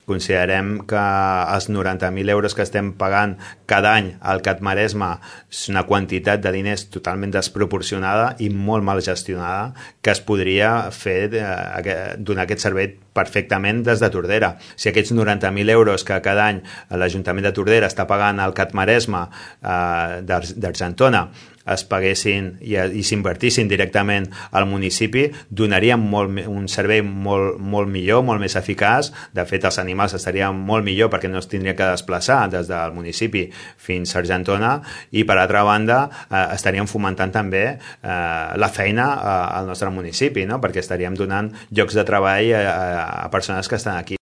Considerem que els 90.000 euros que estem pagant cada any al CAT Maresme és una quantitat de diners totalment desproporcionada i molt mal gestionada, que es podria fer donar aquest servei perfectament des de Tordera. Si aquests 90.000 euros que cada any l'Ajuntament de Tordera està pagant al CAT Maresme d'Argentona es paguessin i s'invertissin directament al municipi, donaríem un servei molt millor, molt més eficaç. De fet, els animals estarien molt millor perquè no es tindria que desplaçar des del municipi fins a Argentona, i per altra banda estaríem fomentant també la feina al nostre municipi, no? Perquè estaríem donant llocs de treball a persones que estan aquí.